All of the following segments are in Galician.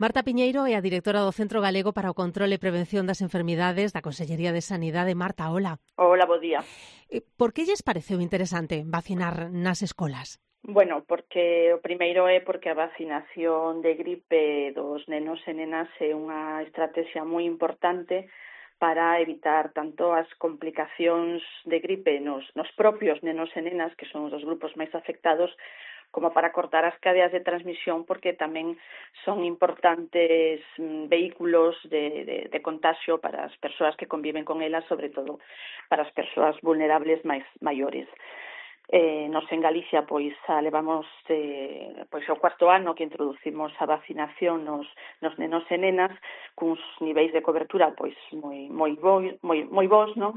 Marta Piñeiro é a directora do Centro Galego para o Control e Prevención das Enfermidades da Consellería de Sanidade. Marta, hola. Hola, bo día. Por que lles pareceu interesante vacinar nas escolas? Bueno, porque o primeiro é porque a vacinación de gripe dos nenos e nenas é unha estrategia moi importante para evitar tanto as complicacións de gripe nos propios nenos e nenas, que son os grupos máis afectados, como para cortar as cadeas de transmisión, porque tamén son importantes vehículos de contagio para as persoas que conviven con elas, sobre todo para as persoas vulnerables máis maiores. Nos en Galicia pois levamos pois o cuarto ano que introducimos a vacinación nos nenos e nenas cuns niveis de cobertura pois moi bons, non?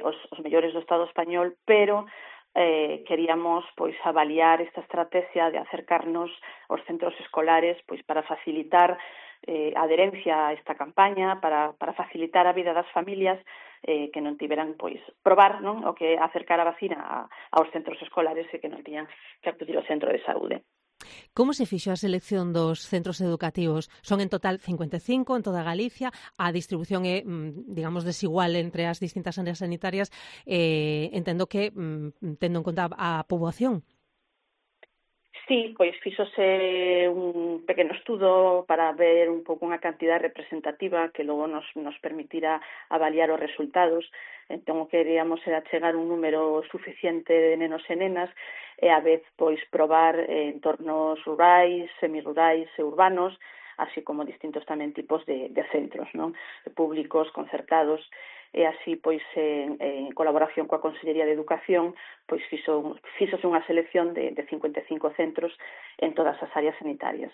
Os mellores do Estado español, pero queríamos pois avaliar esta estrategia de acercarnos aos centros escolares pois para facilitar a adherencia a esta campaña, para facilitar a vida das familias que non tiveran pois probar, non, o que acercar a vacina aos centros escolares e que non tiñan que acudir ao centro de saúde. Como se fixo a selección dos centros educativos? Son en total 55 en toda Galicia. A distribución é, digamos, desigual entre as distintas áreas sanitarias. Entendo que tendo en conta a poboación. Sí, pois fíxose un pequeno estudo para ver un pouco unha cantidad representativa que logo nos permitirá avaliar os resultados. Entón, o que queríamos era chegar un número suficiente de nenos e nenas e a vez pois probar entornos rurais, semirurais e urbanos, así como distintos tamén tipos de centros, non? Públicos, concertados, e así pois en colaboración coa Consellería de Educación pois fíxose unha selección de 55 centros en todas as áreas sanitarias.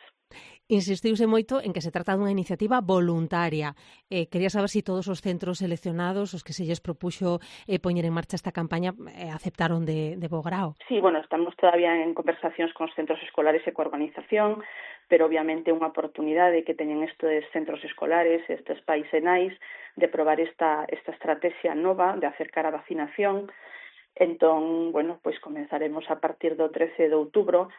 Insistiuse moito en que se trata dunha iniciativa voluntaria. Quería saber se todos os centros seleccionados, os que se lles propuxo poñer en marcha esta campaña, aceptaron de bo grao. Sí, bueno, estamos todavía en conversacións con os centros escolares e coa organización, pero obviamente unha oportunidade que teñen estes centros escolares, estes pais e nais, de probar esta estrategia nova de acercar a vacinación. Entón, bueno, pois comenzaremos a partir do 13 de outubro.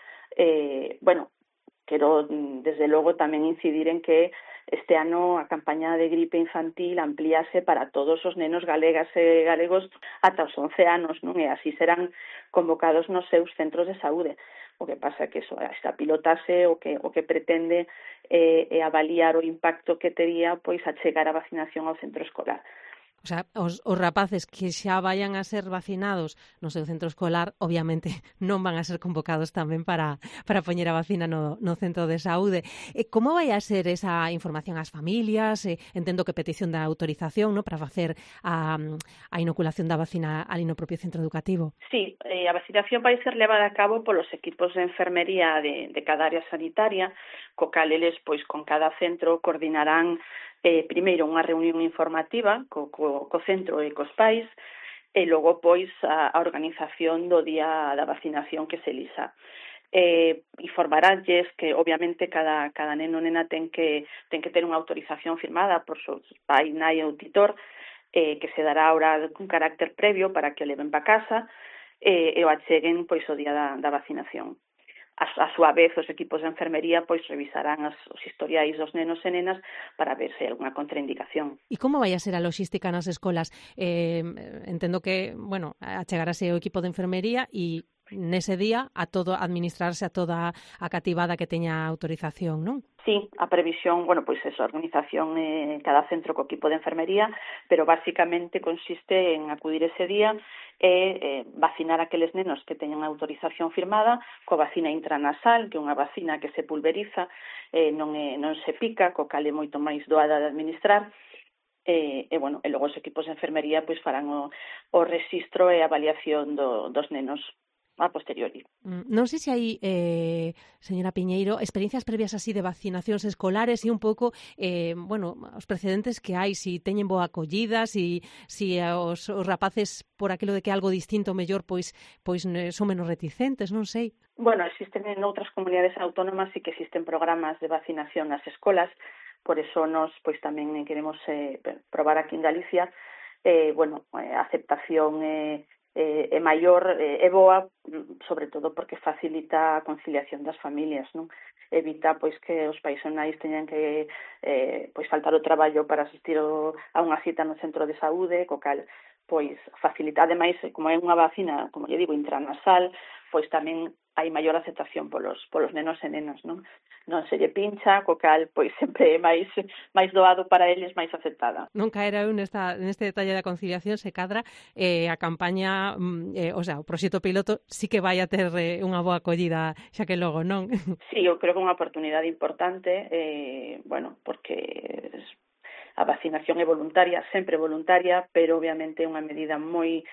Quero, desde logo, tamén incidir en que este ano a campaña de gripe infantil amplíase para todos os nenos galegas e galegos ata os 11 anos, non? E así serán convocados nos seus centros de saúde. O que pasa é que esta pilotase o que pretende é avaliar o impacto que tería pois a chegar a vacinación ao centro escolar. O sea, os rapaces que xa vayan a ser vacinados no seu centro escolar, obviamente, non van a ser convocados tamén para poñer a vacina no centro de saúde. Como vai a ser esa información ás familias? Entendo que petición da autorización, no, para facer a inoculación da vacina ali no propio centro educativo. Sí, a vacinación vai ser levada a cabo polos equipos de enfermería de cada área sanitaria, co cal eles, pois, con cada centro coordinarán primeiro unha reunión informativa co centro e cos pais e logo pois a organización do día da vacinación que se elisa. Informaránlles que obviamente cada neno ou nena ten que ter unha autorización firmada por seu pai, nai ou tutor, que se dará ahora con carácter previo para que o leven para casa e o acheguen pois o día da vacinación. A súa vez, os equipos de enfermería pois revisarán os historiais dos nenos e nenas para ver se hai alguna contraindicación. E como vai a ser a logística nas escolas? Entendo que, bueno, achegarase o equipo de enfermería e nese día administrarse a toda a cativada que teña autorización, non? Sí, a previsión, bueno, pois eso, a organización cada centro co equipo de enfermería, pero basicamente consiste en acudir ese día e vacinar aqueles nenos que teñan autorización firmada coa vacina intranasal, que é unha vacina que se pulveriza, non se pica, co cal é moito máis doada de administrar. E logo os equipos de enfermería pois farán o rexistro e a avaliación dos nenos a posteriori. Non sei se hai, señora Piñeiro, experiencias previas así de vacinacións escolares e un pouco, os precedentes que hai, si teñen boa acollida, si os rapaces, por aquilo de que algo distinto mellor, pois son menos reticentes, non sei. Bueno, existen en outras comunidades autónomas e que existen programas de vacinación nas escolas, por eso nos pois tamén queremos probar aquí en Galicia, a aceptación é maior, é boa, sobre todo porque facilita a conciliación das familias, non? Evita pois que os pais e nais teñan que pois faltar o traballo para asistir a unha cita no centro de saúde, co cal pois facilita, ademais, como é unha vacina, como lle digo, intranasal, pois tamén hai maior aceptación polos nenos e nenas, non? Non se lle pincha, co cal, pois sempre é máis doado para eles, máis aceptada. Non caera eu neste detalle da conciliación, se cadra a campaña, o sea, o proxecto piloto sí que vai a ter unha boa acollida, xa que logo, non? Sí, eu creo que é unha oportunidade importante, bueno, porque a vacinación é voluntaria, sempre voluntaria, pero obviamente é unha medida moi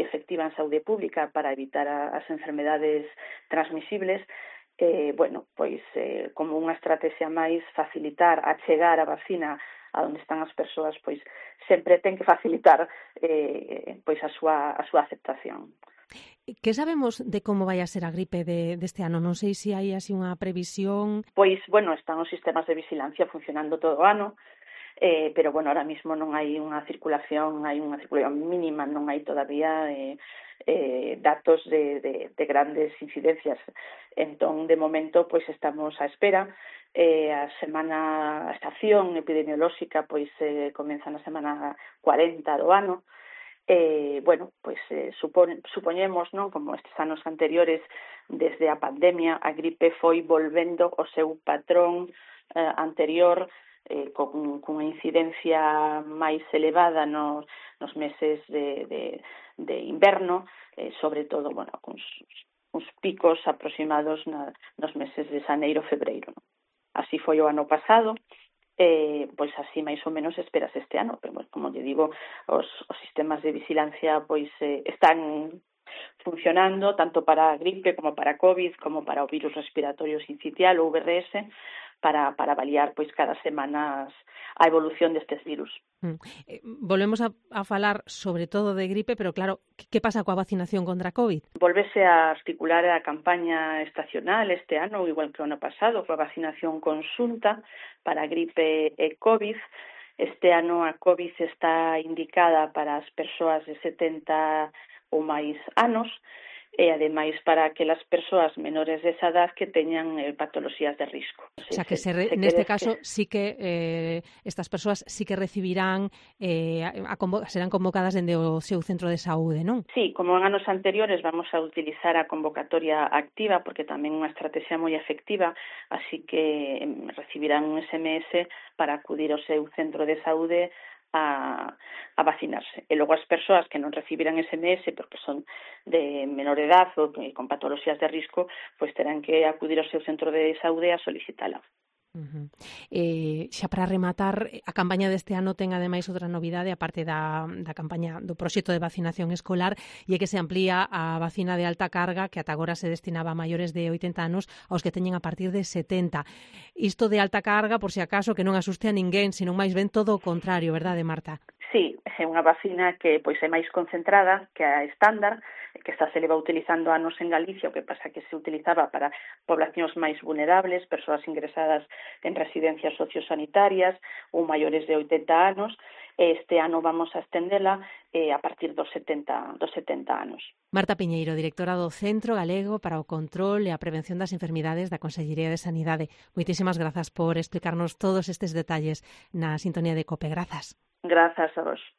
efectiva en saúde pública para evitar as enfermedades transmisibles. Bueno, pois como unha estrategia máis facilitar, achegar a vacina a onde están as persoas, pois sempre ten que facilitar pois a súa aceptación. Que sabemos de como vai a ser a gripe deste ano? Non sei se hai así unha previsión. Pois, bueno, están os sistemas de vigilancia funcionando todo o ano, pero, bueno, ahora mismo non hai unha circulación mínima, non hai todavía datos de grandes incidencias. Entón, de momento, pois estamos á espera. A estación epidemiolóxica pois comeza na semana 40 do ano. Bueno, pois supoñemos, non, como estes anos anteriores, desde a pandemia, a gripe foi volvendo o seu patrón anterior, cunha incidencia máis elevada nos meses de inverno, sobre todo, bueno, uns picos aproximados nos meses de xaneiro, febreiro, non? Así foi o ano pasado, pois así máis ou menos esperas este ano, pero, bueno, como lle digo, os sistemas de vigilancia pois están funcionando tanto para a gripe como para a COVID, como para o virus respiratorio sincitial, o VRS, para avaliar pois cada semana a evolución destes virus. Volvemos a falar sobre todo de gripe, pero claro, que pasa coa vacinación contra a COVID? Volvese a articular a campaña estacional este ano, igual que o ano pasado, coa vacinación conxunta para gripe e COVID. Este ano a COVID está indicada para as persoas de 70 ou máis anos, e ademais para aquelas persoas menores de esa edad que teñan patoloxías de risco. O sea, que neste caso sí que estas persoas sí que recibirán, serán convocadas dende o seu centro de saúde, non? Sí, como en anos anteriores vamos a utilizar a convocatoria activa, porque tamén é unha estrategia moi efectiva, así que recibirán un SMS para acudir ao seu centro de saúde a vacinarse. E logo as persoas que non recibiran SMS porque son de menor edad ou con patoloxías de risco, pois terán que acudir ao seu centro de saúde a solicitala. Xa para rematar, a campaña deste ano ten ademais outra novidade, aparte da campaña do proxecto de vacinación escolar, e é que se amplía a vacina de alta carga, que ata agora se destinaba a maiores de 80 anos, aos que teñen a partir de 70. Isto de alta carga, por si acaso, que non asuste a ninguén, senón máis ben todo o contrario, verdade, Marta? Sí, é unha vacina que pois é máis concentrada que a estándar, que esta se leva utilizando anos en Galicia, o que pasa que se utilizaba para poblacións máis vulnerables, persoas ingresadas en residencias sociosanitarias ou maiores de 80 anos. Este ano vamos a estendela a partir dos 70 anos. Marta Piñeiro, directora do Centro Galego para o Control e a Prevención das Enfermidades da Consellería de Sanidade. Moitísimas grazas por explicarnos todos estes detalles na sintonía de COPE. Grazas. Grazas a vos.